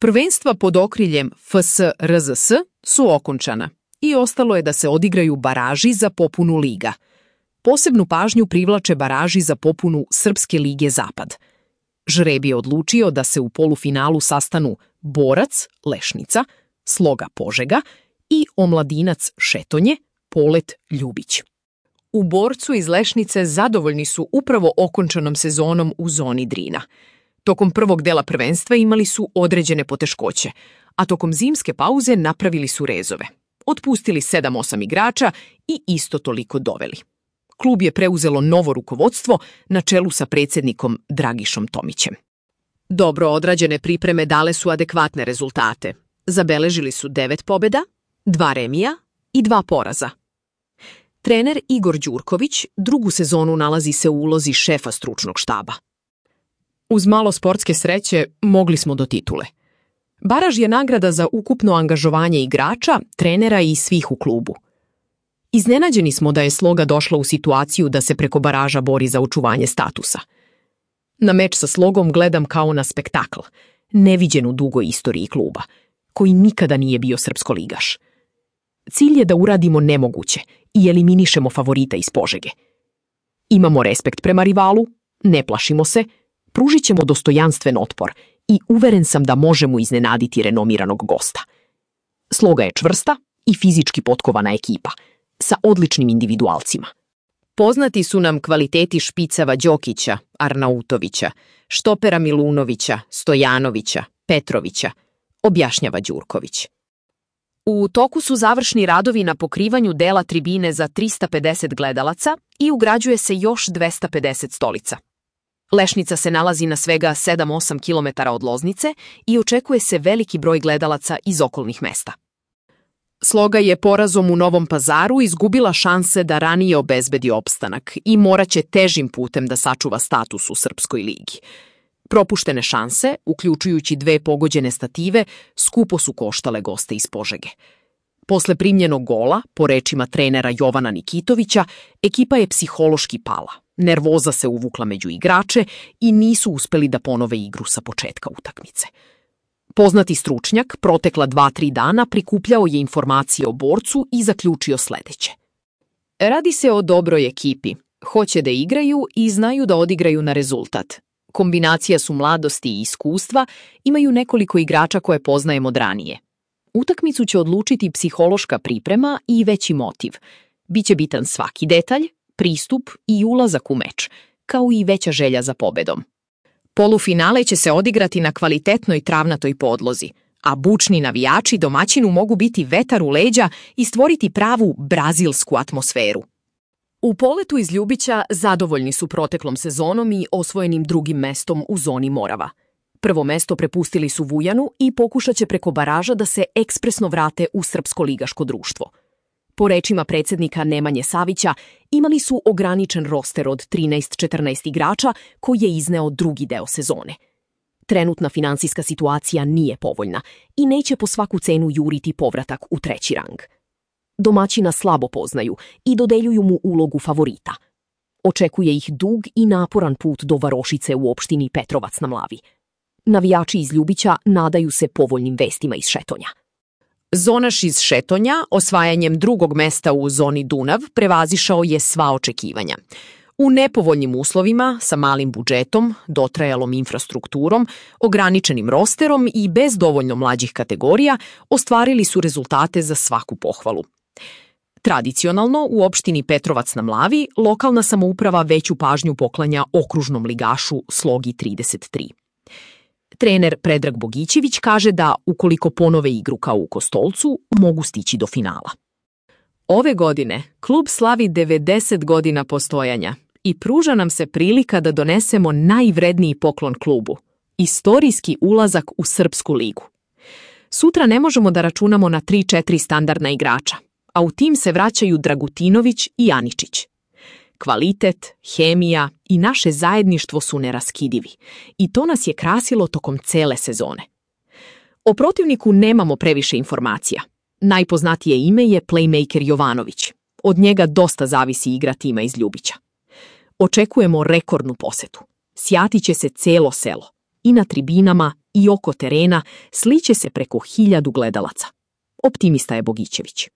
Prvenstva pod okriljem FS-RZS su okončana i ostalo je da se odigraju baraži za popunu liga. Posebnu pažnju privlače baraži za popunu Srpske lige Zapad. Žreb je odlučio da se u polufinalu sastanu Borac, Lešnica, Sloga Požega i Omladinac Šetonje, Polet Ljubić. U Borcu iz Lešnice zadovoljni su upravo okončanom sezonom u zoni Drina. Tokom prvog dela prvenstva imali su određene poteškoće, a tokom zimske pauze napravili su rezove. Otpustili 7-8 igrača i isto toliko doveli. Klub je preuzelo novo rukovodstvo na čelu sa predsjednikom Dragišom Tomićem. Dobro odrađene pripreme dale su adekvatne rezultate. Zabeležili su 9 pobjeda, 2 remija i 2 poraza. Trener Igor Đurković drugu sezonu nalazi se u ulozi šefa stručnog štaba. Uz malo sportske sreće mogli smo do titule. Baraž je nagrada za ukupno angažovanje igrača, trenera i svih u klubu. Iznenađeni smo da je Sloga došla u situaciju da se preko baraža bori za očuvanje statusa. Na meč sa Slogom gledam kao na spektakl, neviđen u dugoj istoriji kluba, koji nikada nije bio srpskoligaš. Cilj je da uradimo nemoguće i eliminišemo favorita iz Požege. Imamo respekt prema rivalu, ne plašimo se, pružit ćemo dostojanstven otpor i uveren sam da možemo iznenaditi renomiranog gosta. Sloga je čvrsta i fizički potkovana ekipa, sa odličnim individualcima. Poznati su nam kvaliteti špicava Đokića, Arnautovića, štopera Milunovića, Stojanovića, Petrovića, objašnjava Đurković. U toku su završni radovi na pokrivanju dela tribine za 350 gledalaca i ugrađuje se još 250 stolica. Lešnica se nalazi na svega 7-8 km od Loznice i očekuje se veliki broj gledalaca iz okolnih mesta. Sloga je porazom u Novom Pazaru izgubila šanse da ranije obezbedi opstanak i moraće težim putem da sačuva status u Srpskoj ligi. Propuštene šanse, uključujući 2 pogođene stative, skupo su koštale goste iz Požege. Posle primljenog gola, po rečima trenera Jovana Nikitovića, ekipa je psihološki pala. Nervoza se uvukla među igrače i nisu uspeli da ponove igru sa početka utakmice. Poznati stručnjak protekla 2-3 dana prikupljao je informacije o Borcu i zaključio sledeće. Radi se o dobroj ekipi. Hoće da igraju i znaju da odigraju na rezultat. Kombinacija su mladosti i iskustva, imaju nekoliko igrača koje poznajemo od ranije. Utakmicu će odlučiti psihološka priprema i veći motiv. Biće bitan svaki detalj, pristup i ulazak u meč, kao i veća želja za pobedom. Polufinale će se odigrati na kvalitetnoj travnatoj podlozi, a bučni navijači domaćinu mogu biti vetar u leđa i stvoriti pravu brazilsku atmosferu. U Poletu iz Ljubića zadovoljni su proteklom sezonom i osvojenim drugim mestom u zoni Morava. Prvo mesto prepustili su Vujanu i pokušat će preko baraža da se ekspresno vrate u srpsko ligaško društvo. Po rečima predsjednika Nemanje Savića, imali su ograničen roster od 13-14 igrača koji je izneo drugi deo sezone. Trenutna finansijska situacija nije povoljna i neće po svaku cenu juriti povratak u 3. rang. Domaćina slabo poznaju i dodeljuju mu ulogu favorita. Očekuje ih dug i naporan put do varošice u opštini Petrovac na Mlavi. Navijači iz Ljubića nadaju se povoljnim vestima iz Šetonja. Zonaš iz Šetonja, osvajanjem drugog mesta u zoni Dunav, prevazišao je sva očekivanja. U nepovoljnim uslovima, sa malim budžetom, dotrajalom infrastrukturom, ograničenim rosterom i bez dovoljno mlađih kategorija, ostvarili su rezultate za svaku pohvalu. Tradicionalno, u opštini Petrovac na Mlavi, lokalna samouprava veću pažnju poklanja okružnom ligašu Slogi 33. Trener Predrag Bogićević kaže da, ukoliko ponove igru kao u Kostolcu, mogu stići do finala. Ove godine klub slavi 90 godina postojanja i pruža nam se prilika da donesemo najvredniji poklon klubu – istorijski ulazak u Srpsku ligu. Sutra ne možemo da računamo na 3-4 standardna igrača, a u tim se vraćaju Dragutinović i Aničić. Kvalitet, hemija i naše zajedništvo su neraskidivi i to nas je krasilo tokom cele sezone. O protivniku nemamo previše informacija. Najpoznatije ime je playmaker Jovanović. Od njega dosta zavisi igra tima iz Ljubića. Očekujemo rekordnu posetu. Sjatit će se celo selo. i na tribinama i oko terena sliće se preko 1000 gledalaca. Optimista je Bogićević.